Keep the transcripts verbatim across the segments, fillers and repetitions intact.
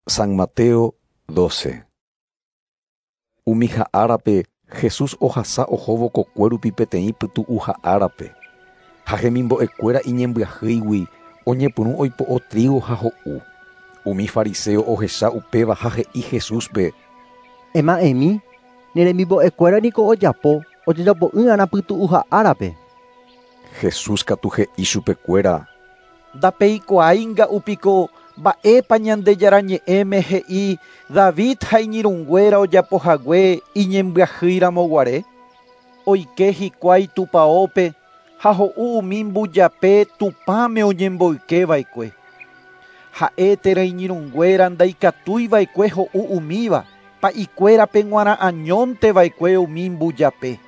San Mateo doce. Umi ha'árape Jesús ohasa ohóvo kokue rupi peteĩ pytu'uha árape. Ha hemimbo'ekuéra iñembyahýigui oñepyrũ oipo'o trigo ha ho'u. Umi fariseo ohecha upéva ha he'i Jesúspe: Ema'ẽmi, ne remimbo'ekuéra niko ojapo ojejapo'ỹ'arã pytu'uha árape. Jesús katu he'i chupekuéra: Ndapeikuaáinga'u piko mba'épa Ñandejára ñe'ẽme he'i David ha iñirũnguéra ojapohague iñembyahýiramoguare. Oike hikuái tupãópe ha ho'u umi mbujape Tupãme oñemboykeva'ekue. Ha'e térã iñirũnguéra ndaikatuiva'ekue ho'u umíva, pa'ikuérape g̃uarã añónteva'ekue umi mbujape.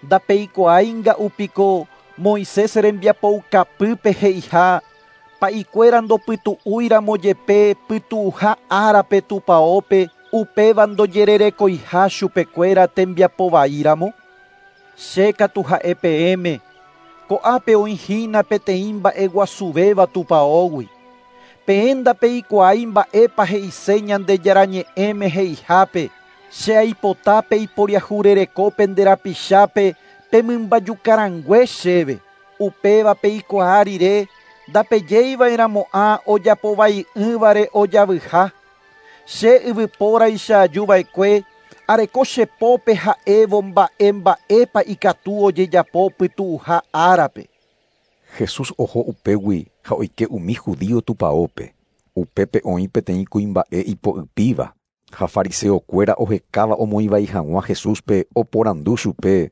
Ndapeikuaáinga'u piko Moisés rembiapoukapýpe he'iha pa'ikuéra ndopytu'úiramo jepe pytu'uha árape tupãópe upéva ndojererekoiha chupekuéra tembiapovaíramo. Che katu ha'e peẽme, ko'ápe oĩhína peteĩ mba'eguasuvéva tupãógui. Peẽ ndapeikuaái mba'épa he'ise Ñandejára ñe'ẽme he'ihápe, che aipota peiporiahurereko pende rapichápe pemymbajukarangue chéve. Upéva peikuaa rire ndapejeiva'erãmo'ã ojapovai'ỹvare ojavyha. Che yvypóraicha ajuva'ekue areko chepópe ha'évo mba'e mba'épa ikatu ojejapo pytu'uha árape. Jesús oho upégui ha oike umi judío tupãópe. Upépe oĩ peteĩ kuimba'e ipo'ypíva ha fariseokuéra ohekáva omoĩvai hag̃ua Jesúspe oporandu chupe: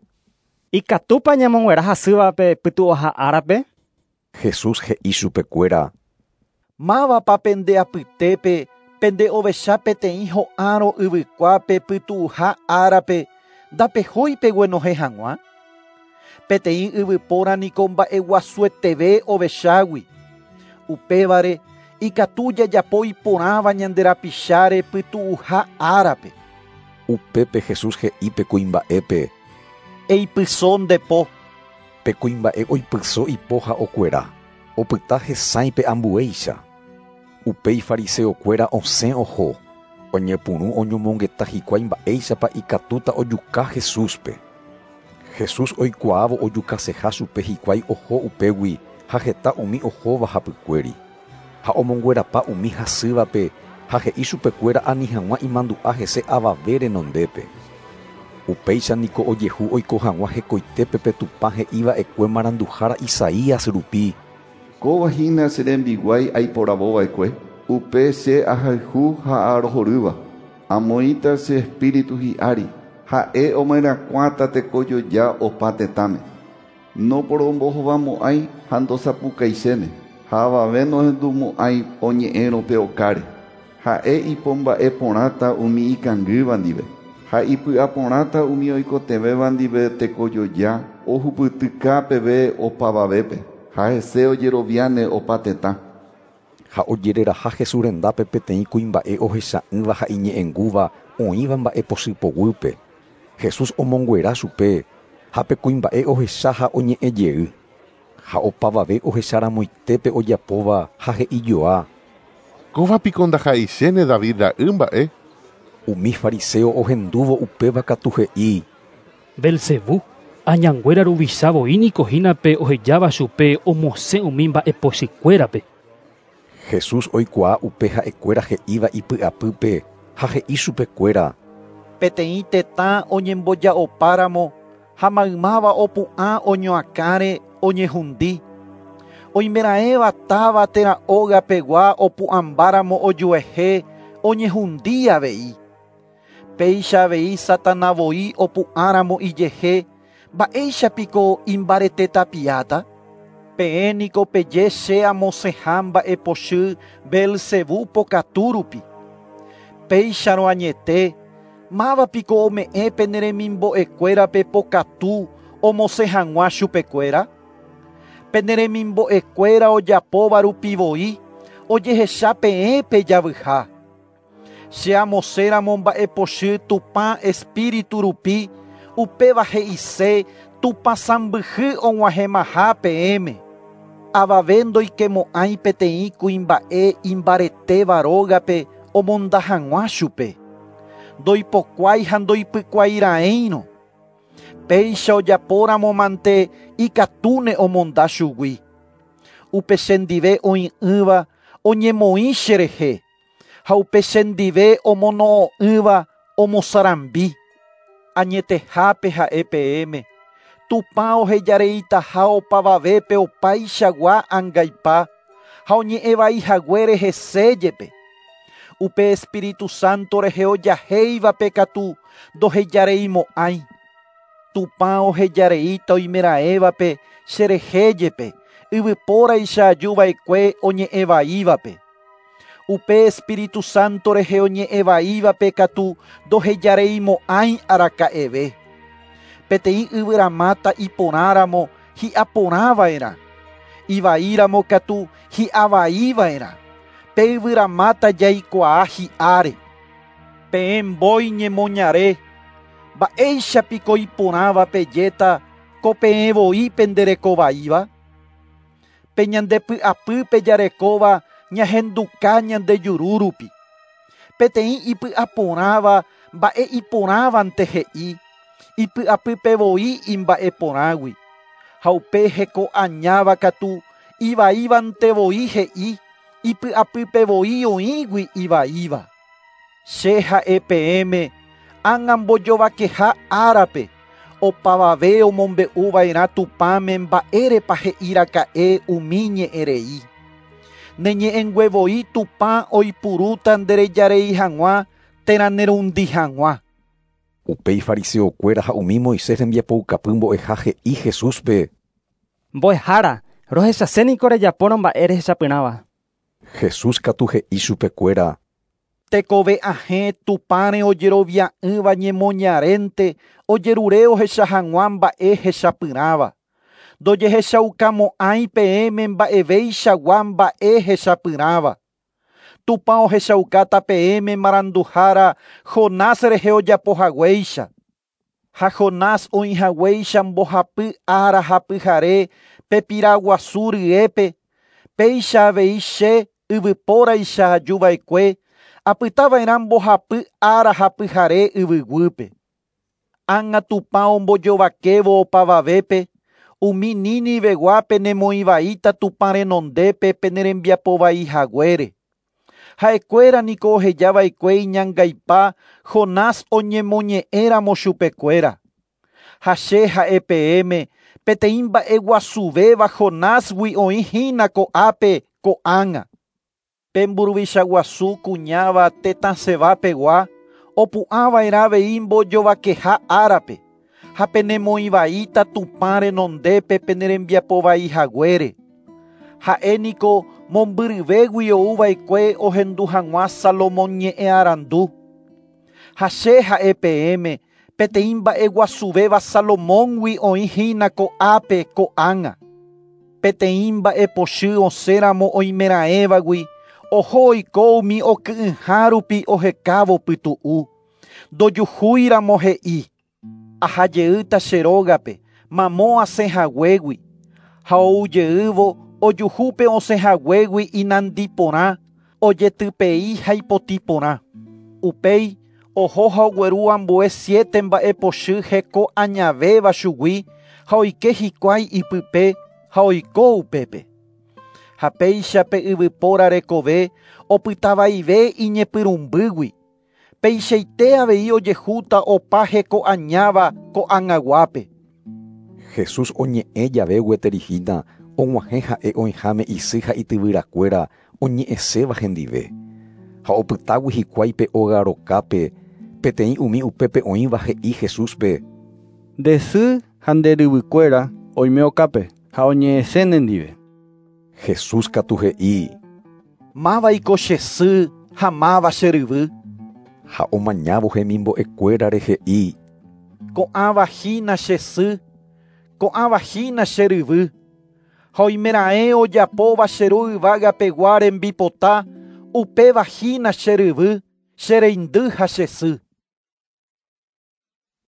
Ikatúpa ñamonguera hasývape pytu'uha árape? Jesús he'i chupekuéra: Mávapa pende apytépe pende ovecha peteĩ ho'árõ yvykuápe pytu'uha árape ndapehói peguenohẽ hag̃ua? Peteĩ yvypóra niko mba'eguasueteve ovechágui. Upévare ikatu jajapo iporãva ñande rapicháre pytu'uha árape. Upépe Jesús he'i pe kuimba'épe: Eipyso nde po. Pe kuimba'e oipyso ipo ha okuera, opyta hesãi pe ambuéicha. Upéi fariseokuéra osẽ oho, oñepyrũ oñomongeta hikuái mba'éichapa ikatúta ojuka Jesúspe. Jesús oikuaávo ojukaseha chupe hikuái oho upégui ha heta umi ohóva hapykuéri. Ha omonguerapa umi hasývape ha he'i chupekuéra ani hag̃ua imandu'a hese avave renondépe. Upéicha niko ojehu oiko hag̃ua hekoitépe pe Tupã he'iva'ekue maranduhára Isaías rupi: Kóva hína che rembiguái aiporavova'ekue, upe che ahayhu ha arohorýva. Amoĩta che espíritu hi'ári, ha'e omyerakuãta tekojoja opa tetãme. Noporombohovamo'ãi ha ndosapukaichéne, ha avave nohendumo'ãi oñe'ẽrõ pe okáre. Ha'e ipomba'eporãta umi ikangýva ndive, ha ipy'aporãta umi oikotevẽva ndive tekojoja ohupytyka peve opavavépe, ha hese ojeroviáne opa tetã. Ha ojereraha Jesús rendápe peteĩ kuimba'e ohecha'ỹva ha iñe'ẽngúva oĩva mba'epochypoguýpe. Jesús omonguera chupe ha pe kuimba'e ohecha ha oñe'ẽjey. Ha opavave ohecharamoitépe ojapóva ha he'ijoa: Kóva piko ndaha'eichéne David ra'y mba'e. Umi fariseo ohendúvo upéva katu he'i: Belcebú, añanguéra ruvicha voi niko hína pe ohejáva chupe omosẽ umi mba'epochykuérape. Jesús oikuaa upe ha'ekuéra he'íva ipy'apýpe ha he'i chupekuéra: Peteĩ tetã oñemboja'opáramo ha maymáva opu'ã oñoakãre oñehundi. Oimeraẽva táva térã ógapegua opu'ãmbáramo ojuehe oñehundi avei. Péicha avei Satanás voi opu'ãramo ijehe mba'éichapiko imbaretetapiáta. Peẽ niko peje che amosẽha mba'epochy Belcebú pokatu rupi. Péicharõ añete, mávapiko ome'ẽ pene remimbo'ekuérape pokatu omosẽ hag̃ua chupekuéra? Pene remimbo'ekuéra ojapóva rupi voi ojehecha peẽ pejavyha. Che amosẽramo mba'epochy Tupã espíritu rupi, upéva he'ise Tupã sãmbyhy og̃uahẽmaha peẽme. Avave ndoikemo'ãi peteĩ kuimba'e imbaretéva rógape omonda hag̃ua chupe. Ndoipokuái ha ndoipykuairaẽirõ. Péicha ojapóramo mante ikatúne omonda chugui. Upe chendive oĩ'ỹva oñemoĩ cherehe ha upe chendive omono'õ'ỹva omosarambi. Añetehápe ha'e peẽme Tupã ohejareitaha opavavépe opaichagua angaipa ha oñe'ẽvaihaguére hese jepe. Upe Espíritu Santo rehe ojahéivape katu ndohejareimo'ãi. Tupã ohejareíta oimeraẽvape cherehe jepe yvypóraicha ajuva'ekue oñe'ẽvaívape. Upe Espíritu Santo rehe oñe'ẽvaívape katu ndohejareimo'ãi araka'eve. Peteĩ yvyramáta iporãramo hi'aporãva'erã. Ivaíramo katu hi'avaiva'erã. Pe yvyramáta jaikuaa hi'áre. Peẽ mbói ñemoñare, mba'éichapiko iporãva pejéta ko peẽ voi penderekovaíva? Pe ñandepy'apýpe jarekóva ñahenduka ñande juru rupi. Peteĩ ipy'aporãva mba'e iporãvante he'i, ipy'apýpe voi imba'eporãgui. Ha upe heko añáva katu ivaívante voi he'i, ipy'apýpe voi oĩgui ivaíva. Che ha'e peẽme ág̃a mbojovakeha árape opavave omombe'uva'erã Tupãme mba'érepa he'iraka'e umi ñe'ẽrei. Neñe'ẽngue voi Tupã oipurúta nderejarei hag̃ua térã nerundi hag̃ua. Upéi fariseokuéra ha umi Moisés rembiapoukapy mbo'eha he'i Jesúspe. Mbo'ehára, rohechaséniko rejapórõ mba'e rehechapyrãva. Jesús katu he'i chupekuéra. Tekove ahẽ Tupãre ojerovia'ỹva ñemoñarénte ojerure ohecha hag̃ua mba'e hechapyrãva. Ndojehechaukamo'ãi peẽme mba'eveichagua mba'e hechapyrãva. Tupã ohechaukáta peẽme maranduhára Jonás rehe ojapohaguéicha. Ha Jonás oĩhaguéicha mbohapy ára ha pyhare pe piraguasu ryépe, péicha avei che yvypóraicha ajuva'ekue apytava'erã mbohapy ára ha pyhare yvyguýpe. Ág̃a Tupã ombojovakévo opavavépe, umi Niniveguápe nemoĩvaíta Tupã renondépe penerembiapovaihaguére. Ha'ekuéra niko ohejava'ekue iñangaipa Jonás oñemoñe'ẽramo chupekuéra. Ha che ha'e peẽme peteĩ mba'eguasuvéva Jonásgui oĩhína ko'ápe ko'ág̃a. Pe mburuvicha guasu kuñáva tetã Sebapegua opu'ãva'erã avei mbojovakeha árape ha penemoĩvaíta Tupã renondépe penerembiapovaihaguére. Ha'e niko mombyryvégui ouva'ekue ohendu hag̃ua Salomón ñe'ẽ arandu. Ha che ha'e peẽme peteĩ mba'eguasuvéva Salomóngui oĩhína ko'ápe ko'ág̃a. Peteĩ mba'epochy osẽramo oimeraẽvagui oho oiko umi oky'ỹha rupi ohekávo pytu'u. Ndojuhúiramo he'i, ahajeýta che rógape mamo asẽhaguégui ha oujeývo ojuhúpe osẽhaguégui inandi porã, ojetypei ha ipotĩ porã. Upéi oho ha ogueru ambue siete mba'epochy heko añavéva chugui ha oike hikuái ipype ha oiko upépe. Ha péicha pe yvypóra rekove opytavaive iñepyrũmbýgui. Peichaite avei ojehúta opa heko añáva ko'ag̃aguápe. Jesús oñe'ẽ jave gueterihína og̃uahẽ ha'e oĩháme isy ha ityvyrakuéra oñe'ẽséva hendive. Ha opytágui hikuái pe óga rokápe peteĩ umi upépe oĩva he'i Jesúspe. Nde sy ha nde ryvykuéra oime okápe ha oñe'ẽse nendive. Jesús katu he'i. Mávaiko che sy ha máva che ryvy. Ha omañávo hemimbo'ekuérare he'i. Ko'ãva hína che sy, ko'ãva hína che ryvy. Ha oimeraẽ ojapóva che ru yvágapegua rembipota, upéva hína che ryvy, che reindy ha che sy.